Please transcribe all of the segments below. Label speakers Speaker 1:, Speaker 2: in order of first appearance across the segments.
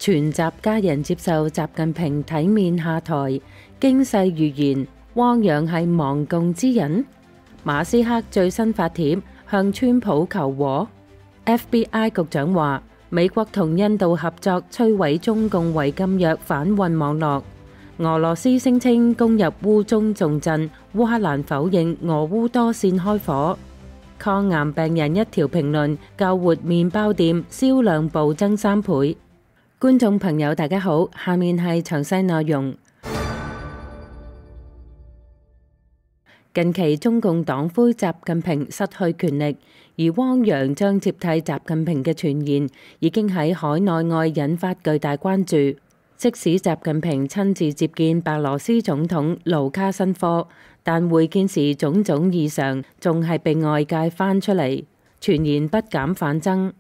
Speaker 1: 全集家人接受習近平體面下台，驚世預言汪洋係亡共之人。馬斯克最新發帖向川普求和。FBI 局長話美國同印度合作摧毀中共違禁藥販運網絡。俄羅斯聲稱攻入烏中重鎮，烏克蘭否認俄烏多線開火。抗癌病人一條評論，救活麵包店銷量暴增3倍。觀眾朋友大家好，下面係詳細內容。近期中共黨魁習近平失去權力，而汪洋將接替習近平嘅傳言已經喺海內外引發巨大關注。即使習近平親自接見白羅斯總統盧卡申科，但會見時種種異常仲係被外界翻出嚟，傳言不減反增。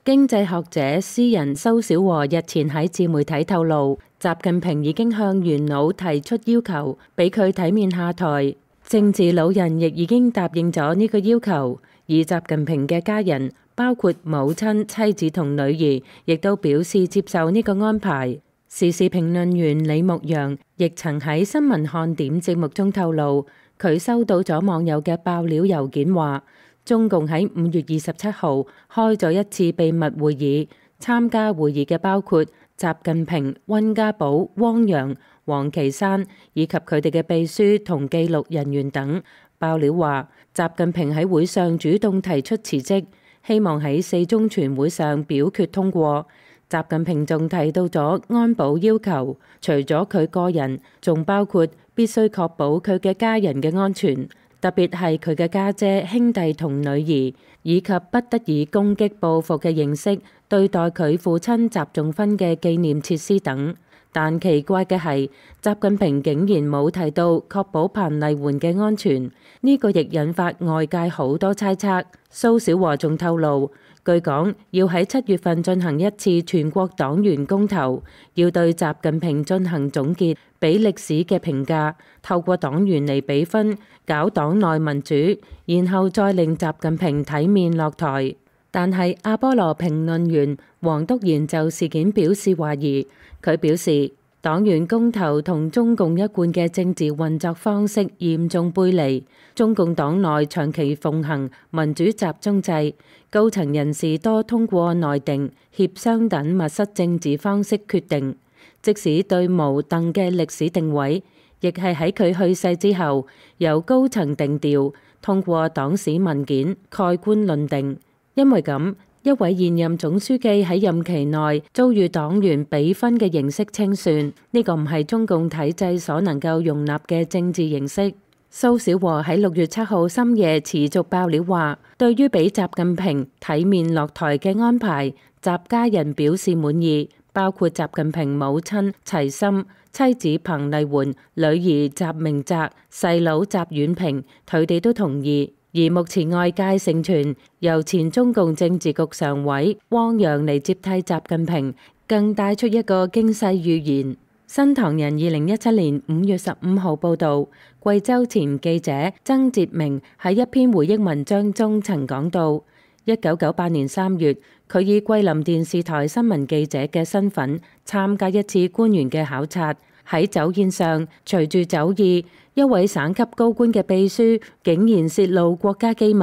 Speaker 1: 經濟學者詩人蘇小和日前喺自媒體透露，習近平已經向元老提出要求，俾佢體面下台。政治老人亦已經答應咗呢個要求，而習近平嘅家人，包括母親、妻子同女兒，亦都表示接受呢個安排。時事評論員李牧陽亦曾喺新聞看點節目中透露，佢收到咗網友嘅爆料郵件，話中共喺5月27號開咗一次秘密會議，參加會議嘅包括習近平、溫家寶、汪洋、王岐山以及佢哋嘅秘書同記錄人員等。爆料話，習近平喺會上主動提出辭職，希望喺4中全會上表決通過。習近平仲提到咗安保要求，除咗佢個人，仲包括必須確保佢嘅家人嘅安全，特別係佢嘅家姐、兄弟同女兒，以及不得以攻擊報復嘅形式對待佢父親習仲勳嘅紀念設施等。但奇怪嘅係，習近平竟然冇提到確保彭麗媛嘅安全，呢個亦引發外界好多猜測。蘇小和仲透露，據講要喺7月份進行一次全國黨員公投，要對習近平進行總結，俾歷史嘅評價，透過黨員嚟比分，搞黨內民主，然後再令習近平體面落台。但係阿波羅評論員黃篤賢就事件表示懷疑，佢表示黨員公投同中共一貫嘅政治運作方式嚴重背離，中共黨內長期奉行民主集中制，高層人士多通過內定、協商等密室政治方式決定，即使對毛鄧嘅歷史定位，亦係喺佢去世之後由高層定調，通過黨史文件蓋棺論定。因為咁，一位現任總書記喺任期內遭遇黨員比分嘅形式清算，呢個唔係中共體制所能夠容納嘅政治形式。蘇小和喺6月7號深夜持續爆料話，對於俾習近平體面落台嘅安排，習家人表示滿意，包括習近平母親齊心、妻子彭麗媛、女兒習明澤、細佬習遠平，佢哋都同意。而目前外界盛傳由前中共政治局常委汪洋嚟接替習近平，更帶出一個驚世預言。新唐人2017年5月15號報導，貴州前記者曾哲明喺一篇回憶文章中曾講到，1998年3月，佢以桂林電視台新聞記者嘅身份參加一次官員嘅考察。喺酒宴上，隨住酒意，一位省級高官嘅秘書竟然泄露國家機密，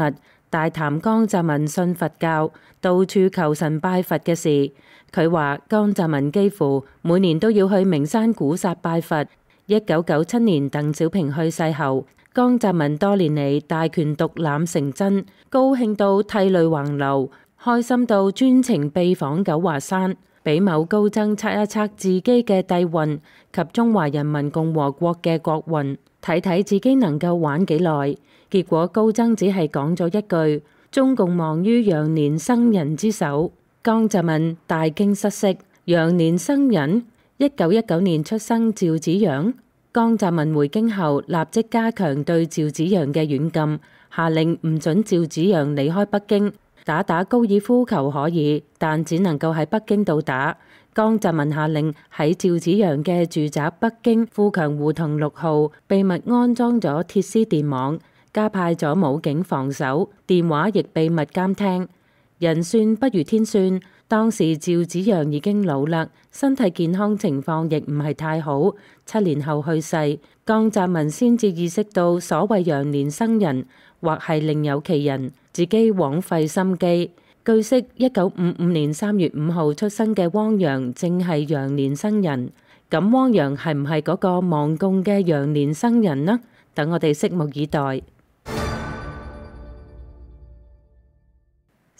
Speaker 1: 大談江澤民信佛教，到處求神拜佛嘅事。佢話江澤民幾乎每年都要去名山古剎拜佛。1997年鄧小平去世後，江澤民多年嚟大權獨攬成真，高興到涕淚橫流，開心到專程秘訪九華山，俾某高僧測一測自己嘅帝運及中華人民共和國嘅國運，睇睇自己能夠玩幾耐。結果高僧只係講咗一句：中共亡於羊年生人之手。江澤民大驚失色，羊年生人？1919年出生趙紫陽。江澤民回京後立即加強對趙紫陽嘅軟禁，下令唔准趙紫陽離開北京。打高爾夫球可以，但只能夠喺北京度打。江澤民下令喺趙紫陽嘅住宅北京富強胡同6號秘密安裝咗鐵絲電網，加派咗武警防守，電話亦秘密監聽。人算不如天算，當時趙紫陽已經老啦，身體健康情況亦唔係太好，7年後去世。江澤民先至意識到所謂羊年生人或係另有其人，自己枉費心機。據悉，1955年3月5號出生嘅汪洋正係羊年生人。咁汪洋係唔係嗰個亡共嘅羊年生人呢？等我哋拭目以待。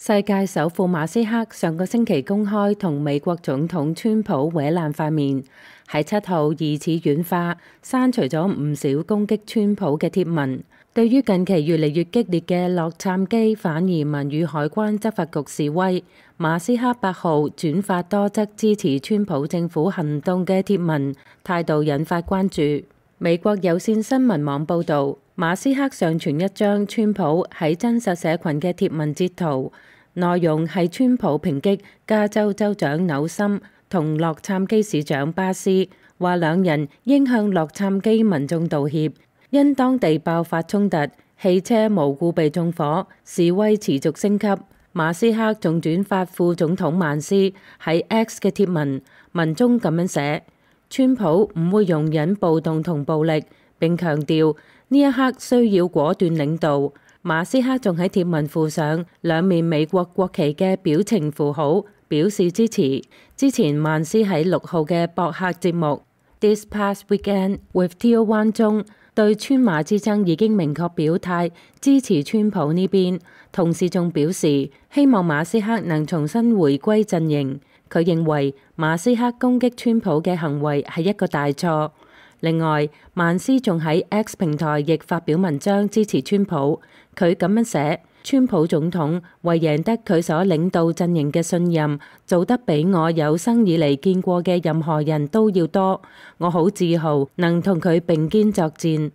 Speaker 1: 世界首富馬斯克上個星期公開同美國總統川普搲爛塊面，喺7號疑似軟化，刪除咗唔少攻擊川普嘅貼文。對於近期越嚟越激烈嘅洛杉磯反移民與海關執法局示威，馬斯克8號轉發多則支持川普政府行動嘅貼文，態度引發關注。美國有線新聞網報導，馬斯克上傳一張川普喺真實社群嘅貼文截圖，內容係川普抨擊加州州長紐森同洛杉磯市長巴斯，話兩人應向洛杉磯民眾道歉。因當地爆發衝突，汽車無故被縱火，示威持續升級。馬斯克仲轉發副總統曼斯喺 X 嘅貼文，文中咁樣寫：川普唔會容忍暴動同暴力，並強調呢一刻需要果斷領導。馬斯克仲喺貼文附上兩面美國國旗嘅表情符號，表示支持。之前曼斯喺6號嘅博客節目 This Past Weekend with Theo Wan 中，對川馬之爭已經明確表態支持川普呢邊，同時仲表示希望馬斯克能重新回歸陣營。佢認為馬斯克攻擊川普嘅行為係一個大錯。另外，曼斯仲喺 X 平台亦發表文章支持川普。佢咁樣寫：川普總統為贏得佢所領導陣營嘅信任，做得比我有生以嚟見過嘅任何人都要多。我好自豪能同佢並肩作戰。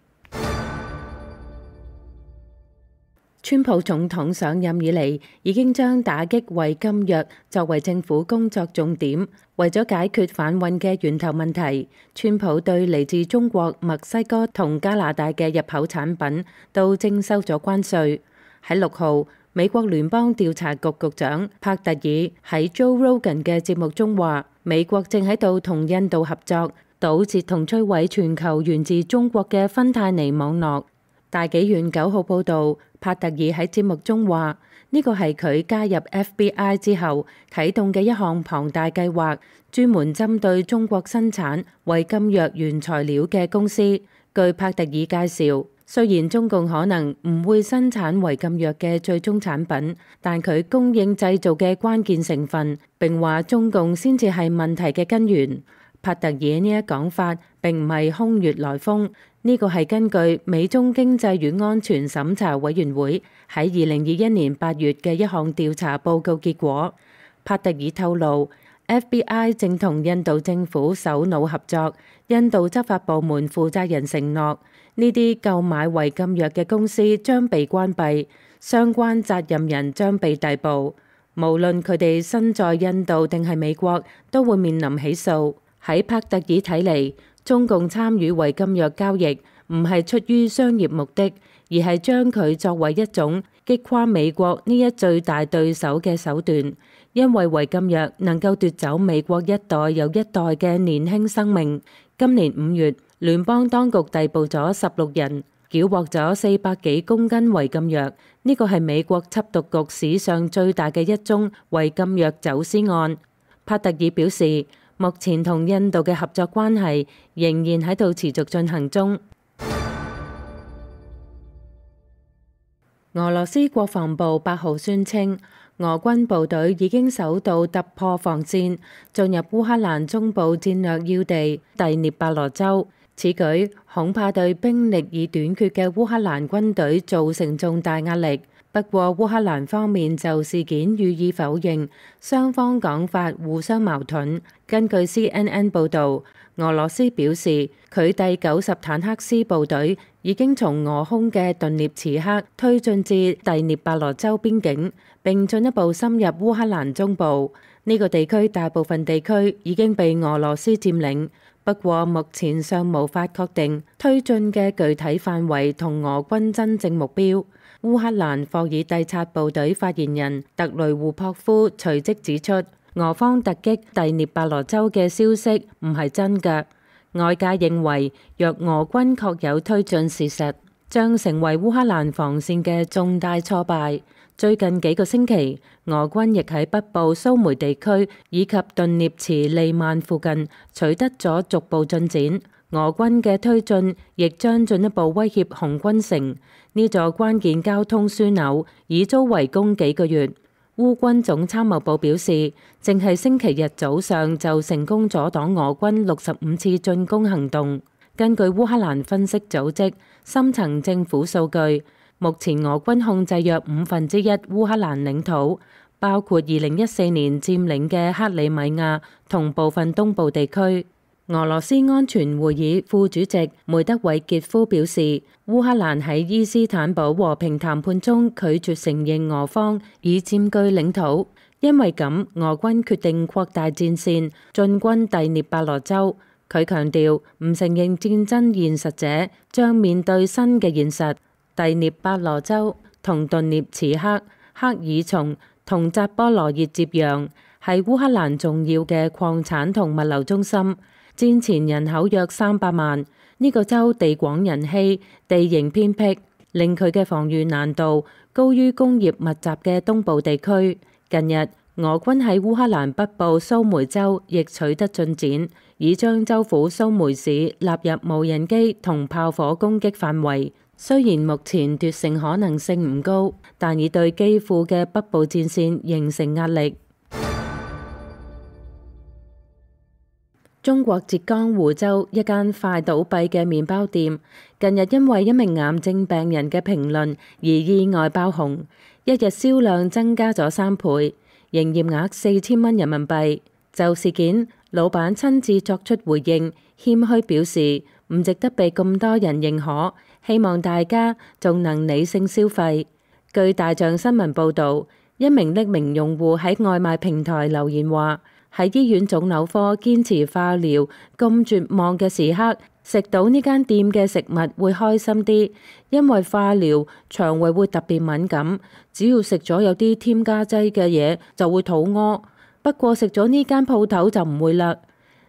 Speaker 1: 川普總統上任以嚟，已經將打擊違禁藥作為政府工作重點。為咗解決販運嘅源頭問題，川普對嚟自中國、墨西哥同加拿大嘅入口產品都徵收咗關稅。喺6號，美國聯邦調查局局長帕特爾喺 Joe Rogan 嘅節目中話，美國正喺度同印度合作，堵截同摧毀全球源自中國嘅芬太尼網絡。大紀元9號報導，帕特爾喺節目中話，呢個係佢加入 FBI 之後啟動嘅一項龐大計劃，專門針對中國生產違禁藥原材料嘅公司。據帕特爾介紹，雖然中共可能唔會生產違禁藥嘅最終產品，但佢供應製造嘅關鍵成分，並話中共先至係問題嘅根源。帕特爾呢一講法並唔係空穴來風，呢個係根據美中經濟與安全審查委員會喺2021年8月嘅一項調查報告結果。帕特爾透露， FBI 正同印度政府首腦合作，印度執法部門負責人承諾，呢啲購買違禁藥嘅公司將被關閉，相關責任人將被逮捕，無論佢哋身在印度定係美國，都會面臨起訴。喺帕特爾睇嚟，中共參與違禁藥交易唔係出於商業目的，而係將佢作為一種擊垮美國呢一最大對手嘅手段。因為違禁藥能夠奪走美國一代又一代嘅年輕生命。今年5月，聯邦當局逮捕咗16人，繳獲咗400幾公斤違禁藥。呢個係美國緝毒局史上最大嘅一宗違禁藥走私案。帕特爾表示，目前同印度嘅合作關係仍然喺度持續進行中。俄羅斯國防部8號宣稱，俄軍部隊已經首度突破防線，進入烏克蘭中部戰略要地第聶伯羅州。此舉恐怕對兵力已短缺嘅烏克蘭軍隊造成重大壓力。不過烏克蘭方面就事件予以否認，雙方講法互相矛盾。根據 CNN 報導，俄羅斯表示佢第90坦克師部隊已經從俄空嘅頓涅茨克推進至第聶伯羅州邊境，並進一步深入烏克蘭中部。呢個地區大部分地區已經被俄羅斯佔領，不過目前尚無法確定推進嘅具體範圍同俄軍真正目標。烏克蘭霍爾蒂察部隊發言人特雷胡珀夫隨即指出，俄方突擊第聶伯羅州嘅消息唔係真嘅。外界認為，若俄軍確有推進事實，將成為烏克蘭防線嘅重大挫敗。最近幾個星期，俄軍亦喺北部蘇梅地區以及頓涅茨利曼附近取得咗逐步進展。俄軍嘅推進亦將進一步威脅紅軍城，呢座關鍵交通樞紐已遭圍攻幾個月。烏軍總參謀部表示，淨係星期日早上就成功阻擋俄軍65次進攻行動。根據烏克蘭分析組織深層政府數據，目前俄軍控制約1/5烏克蘭領土，包括2014年佔領嘅克里米亞同部分東部地區。俄羅斯安全會議副主席梅德韋傑夫表示，烏克蘭喺伊斯坦堡和平談判中拒絕承認俄方已佔據領土，因為咁，俄軍決定擴大戰線，進軍第聶伯羅州。佢強調，唔承認戰爭現實者將面對新嘅現實。第聶伯羅州同頓涅茨克、克爾松同扎波羅熱接壤，係烏克蘭重要嘅礦產同物流中心。戰前人口約300萬，呢個州地廣人稀，地形偏僻，令佢嘅防禦難度高於工業密集嘅東部地區。近日，俄軍喺烏克蘭北部蘇梅州亦取得進展，已將州府蘇梅市納入無人機同炮火攻擊範圍。雖然目前奪勝可能性唔高，但已對基輔嘅北部戰線形成壓力。中國浙江湖州一間快倒閉嘅麵包店，近日因為一名癌症病人嘅評論而意外爆紅，一日銷量增加咗3倍，營業額4000蚊人民幣。就事件，老闆親自作出回應，謙虛表示唔值得被咁多人認可，希望大家仲能理性消費。據大象新聞報導，一名匿名用戶喺外賣平台留言話，喺醫院腫瘤科堅持化療咁絕望嘅時刻，食到呢間店嘅食物會開心啲，因為化療腸胃會特別敏感，只要食咗有啲添加劑嘅嘢就會肚屙。不過食咗呢間鋪頭就唔會啦。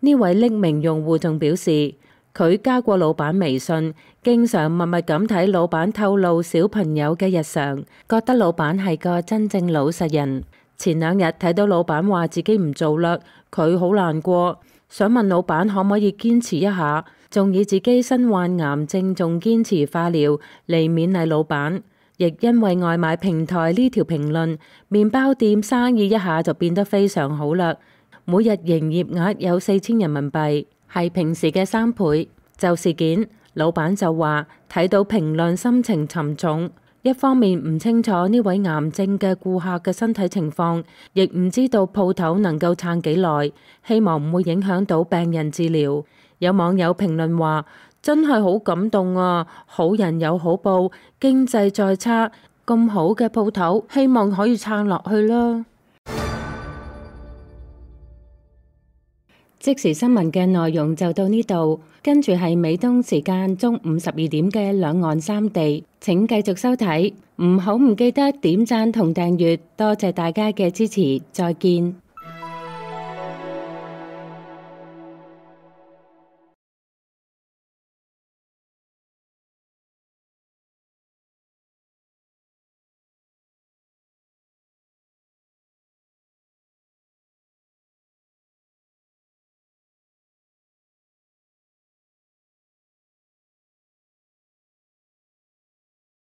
Speaker 1: 呢位匿名用戶仲表示，佢加過老闆微信，經常默默咁睇老闆透露小朋友嘅日常，覺得老闆係個真正老實人。前2日睇到老闆話自己唔做啦，佢好難過，想問老闆可唔可以堅持一下，仲以自己身患癌症仲堅持化療嚟勉勵老闆。亦因為外賣平台呢條評論，麵包店生意一下就變得非常好啦，每日營業額有4000人民幣，係平時嘅3倍。就事件，老闆就話睇到評論心情沉重。一方面唔清楚呢位癌症嘅顧客嘅身體情況，亦唔知道鋪頭能夠撐幾耐，希望唔會影響到病人治療。有網友評論話，真係好感動啊！好人有好報，經濟再差，咁好嘅鋪頭，希望可以撐落去啦。即時新聞嘅內容就到呢度，跟住係美東時間中午12點嘅兩岸三地，請繼續收睇，唔記得點讚同訂閱，多謝大家嘅支持，再見。